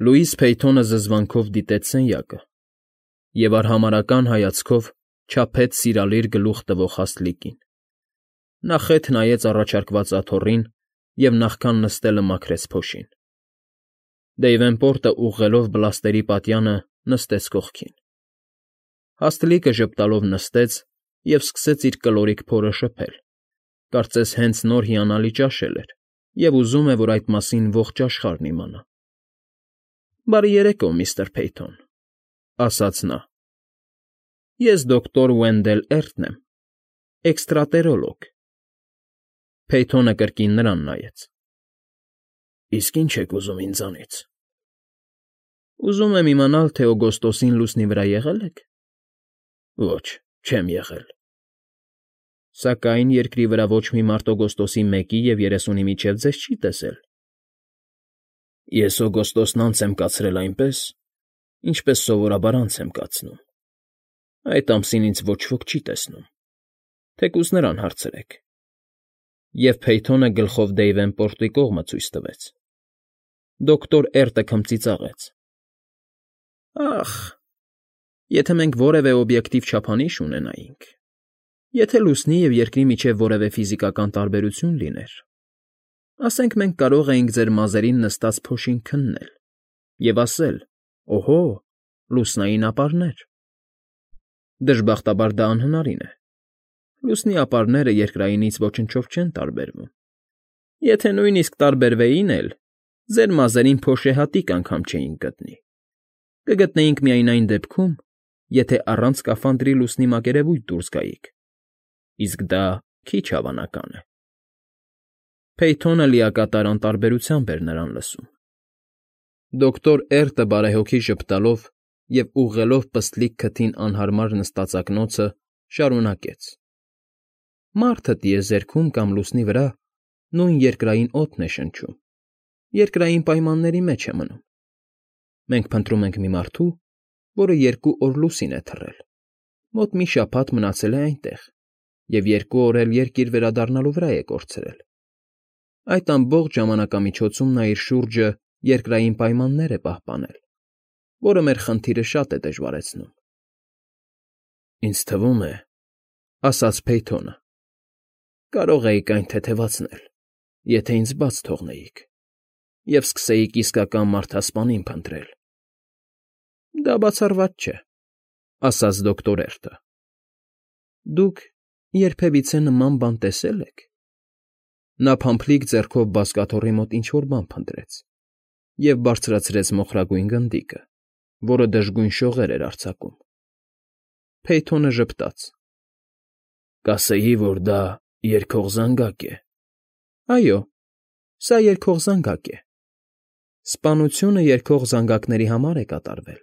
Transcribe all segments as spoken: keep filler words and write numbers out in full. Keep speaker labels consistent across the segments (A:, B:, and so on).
A: Լուիս Փեյթոնը զզվանքով դիտեց սենյակը և արհամարհական հայացքով չափեց սիրալիր գլուխ տվող հաստլիկին. նա խեթ նայեց առաջարկված աթոռին և նախքան նստելը մաքրեց փոշին։ Դեյվենպորտը ուղղելով բլաստերի պատյանը նստեց կողքին։ Հաստլիկը ժպտալով նստեց և սկսեց իր կլորիկ փորը շփել, կարծես հենց նոր հիանալի ճաշել էր և ուզում է, որ այդ մասին ողջ աշխարհն իմանա։ ֊ Բարի երեկո, միստր Փեյթոն, ֊ ասաց նա։ ֊ Ես դոկտոր Վենդել Էրտն եմ, էքստրատերոլոգ։ Փեյթոնը կրկին նրան նայեց։ ֊ Իսկ ի՞նչ եք ուզում ինձանից։ ֊ Ուզում եմ իմանալ, թե օգոստոսին լուսնի վրա եղե՞լ եք։ ֊ Ոչ, չեմ եղել։ ֊ Սակայն երկրի վրա ոչ մի մարդ օգոստոսի մեկի և երեսունի միջև ձեզ չի տեսել։ ֊ Ես օգոստոսն անց եմ կացրել այնպես, ինչպես սովորաբար անց եմ կացնում. այդ ամսին ինձ ոչ ոք չի տեսնում, թեկուզ նրան հարցրեք։ Եվ Փեյթոնը գլխով Դեյվենպորտի կողմը ցույց տվեց։ Դոկտոր Էրտը քմծիծաղեց։ ֊ Ախ, եթե մենք որևէ օբյեկտիվ չափանիշ ունենայինք, եթե լուսնի և երկրի միջև որևէ ֆիզիկական տարբերություն լիներ, ասենք մենք կարող էինք ձեր մազերին նստած փոշին քննել և ասել. «Օհո, լուսնային ապարներ»։ Դժբախտաբար դա անհնարին է։ Լուսնի ապարները երկրայինից ոչնչով չեն տարբերվում։ Եթե նույնիսկ տարբերվեին էլ, ձեր մազերին փոշեհատիկ անգամ չէինք գտնի։ Կգտնեինք միայն այն դեպքում, եթե առանց սկաֆանդրի լուսնի մակերևույթ դուրս գայիք, իսկ դա քիչ հավանական է։ Փեյթոնը լիակատար անտարբերությամբ էր նրան լսում։ Դոկտոր Էրտը բարեհոգի ժպտալով և ուղղելով պստլիկ քթին անհարմար նստածակնոցը, շարունակեց. ֊ Մարդը տիեզերքում կամ լուսնի վրա նույն երկրային օդն է շնչում, երկրային պայմանների մեջ է մնում։ Մենք փնտրում ենք մի մարդու, որը երկու օր լուսին է թռել, մոտ մի շաբաթ մնացել է այնտեղ և երկու օր էլ երկիր վերադառնալու վրա է կորցրել։ Այդ ամբողջ ժամանակամիջոցում նա իր շուրջը երկրային պայմաններ է պահպանել, որը մեր խնդիրը շատ է դժվարացնում։ ֊ Ինձ թվում է, ֊ ասաց Փեյթոնը, ֊ կարող էիք այն թեթևացնել, եթե ինձ բաց թողնեիք և սկսեիք իսկական մարդասպանին փնտրել։ ֊ Դա բացառված չէ, ֊ ասաց դոկտոր Էրտը։ ֊ Դուք երբևիցե նման բան տեսե՞լ եք։ Նա փամփլիկ ձեռքով բազկաթոռի մոտ ինչ֊որ բան փնտրեց և բարձրացրեց մոխրագույն գնդիկը, որը դժգույն շողեր էր արձակում։ Փեյթոնը ժպտաց։ ֊ Կասեի, որ դա երգող զանգակ է։ ֊ Այո, սա երգող զանգակ է։ Սպանությունը երգող զանգակների համար է կատարվել։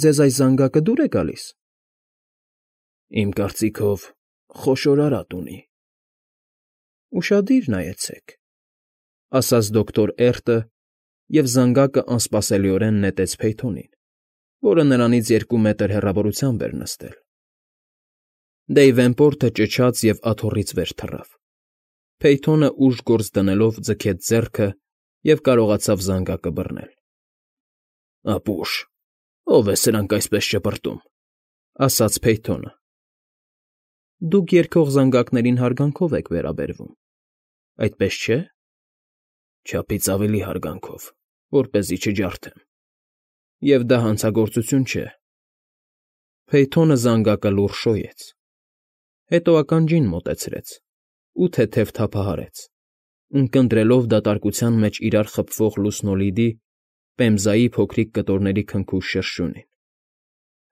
A: Ձեզ այս զանգակը դուր է գալիս։ ֊ Իմ կարծիքով խոշոր արատ ունի։ ֊ Ուշադիր նայեցեք, ֊ ասաց դոկտոր Էրտը և զանգակը անսպասելիորեն նետեց Փեյթոնին, որը նրանից երկու մետր հեռավորությամբ էր նստել։ Դեյվենպորտը ճչաց և աթոռից վեր թռավ։ Փեյթոնը ուժգործ դնելով ձգեց ձեռքը և կարողացավ զանգակը բռնել։ ֊ Ապուշ, ո՞վ է սրանք այսպես ճպրտում, ֊ ասաց Փեյթոնը։ ֊ Դուք երգող զանգակներին հարգանքով եք վերաբերվում, այդպես չէ՞։ ֊ Չափից ավելի հարգանքով, որպեսզի չջարդեմ։ Եվ դա հանցագործություն չէ։ Փեյթոնը զանգակը լուռ շոյեց, հետո ականջին մոտեցրեց ու թեթև թափահարեց, ունկնդրելով դատարկության մեջ իրար խփվող լուսնոլիդի, պեմզայի փոքրիկ կտորների քնքուշ շրշյունին։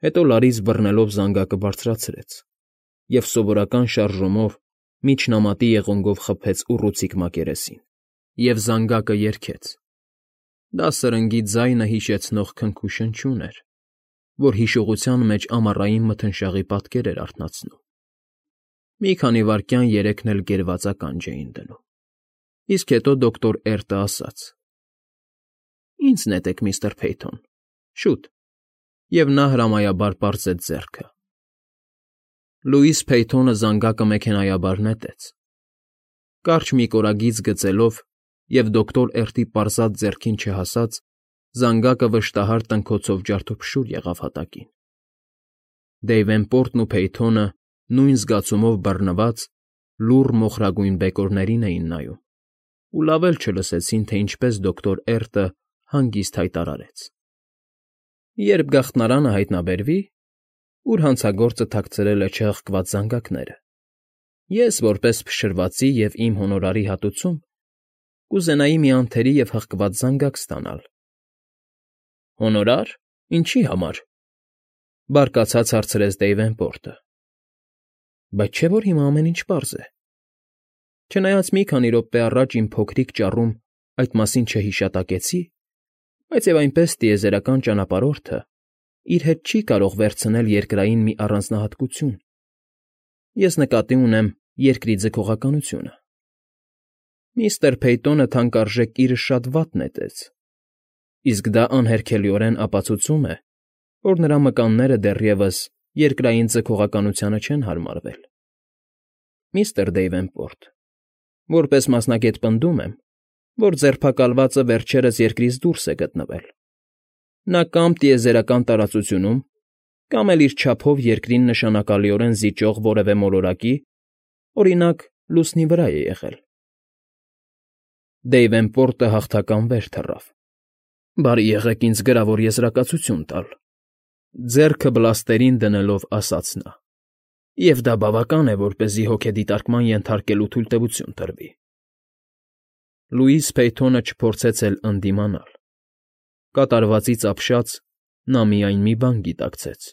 A: Հետո լարից բռնելով զանգակը բարձրացրեց և սովորական շարժումով միջնամատի եղունգով խփեց ուռուցիկ մակերեսին, և զանգակը երգեց։ Դա սրնգի ձայնը հիշեցնող քնքուշնչյուն էր, որ հիշողության մեջ ամառային մթնշաղի պատկեր էր արթնացնում։ Մի քանի վայրկյան երեքն էլ գերված ականջ էին դնում, իսկ հետո դոկտոր Էրտը ասաց. ֊ Ինձ նետեք, միստր Փեյթոն, շուտ, և նա հրամայաբար պարզեց ձեռքը։ Լուիս Փեյթոնը զանգակը մեքենայաբար նետեց։ Կարճ մի կորագիծ գծելով և դոկտոր Էրտի պարզած ձեռքին չհասած, Զանգակը վշտահար տնքոցով ջարդուփշուր եղավ հատակին։ Դեյվենպորտն ու Փեյթոնը նույն զգացումով բռնված, լուռ մոխրագույն բեկորներին էին նայում ու լավ էլ չլսեցին, թե ինչպես դոկտոր Էրտը հանգիստ հայտարարեց. «Երբ գաղտնարանը հայտնաբերվի, ուր հանցագործը թաքցրել է չհղկված զանգակները, ես, որպես փշրվածի և իմ հոնորարի հատուցում, կուզենայի մի անթերի և հղկված զանգակ ստանալ»։ ֊ Հոնորա՞ր, ինչի համար,֊ բարկացած հարցրեց Դեյվենպորտը։ ֊ Բայց չէ՞ որ հիմա ամեն ինչ պարզ է։ Չնայած մի քանի րոպե առաջ իմ փոքրիկ ճառում այդ մասին չհիշատակեցի, բայց և այնպես տիեզերական ճանապարհորդը իր հետ չի կարող վերցնել երկրային մի առանձնահատկություն. ես նկատի ունեմ երկրի ձգողականությունը։ Միստր Փեյթոնը թանկարժեք կիրը շատ վատ նետեց, իսկ դա անհերքելիորեն ապացուցում է, որ նրա մկանները դեռևս երկրային ձգողականությանը չեն հարմարվել։ Միստր Դեյվենպորտ, որպես մասնագետ պնդում եմ, որ ձերբակալվածը վերջերս երկրից դուրս է գտնվել։ Նա կամ տիեզերական տարածությունում, կամ էլ իր չափով երկրին նշանակալիորեն զիջող որևէ մոլորակի, օրինակ, լուսնի վրա է եղել։ Դեյվենպորտը հաղթական վեր թռավ։ Բարի եղեք ինձ գրավոր եզրակացություն տալ,֊ ձեռքը բլաստերին դնելով ասաց նա,֊ և դա բավական է, որպեսզի հոգեդիտարկման ենթարկելու թույլտվություն տրվի։ Լուիս Փեյթոնը չփորձեց էլ ընդդիմանալ։ Կատարվածից ապշած նա միայն մի բան գիտակցեց.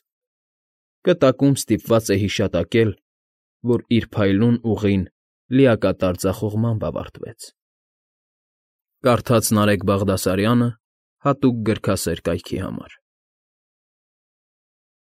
A: կտակում ստիպված է հիշատակել, որ իր փայլուն ուղին լիակատար ձախողմամբ ավարտվեց։ Կարդաց Նարեկ Բաղդասարյանը հատուկ գրքասեր կայքի համար։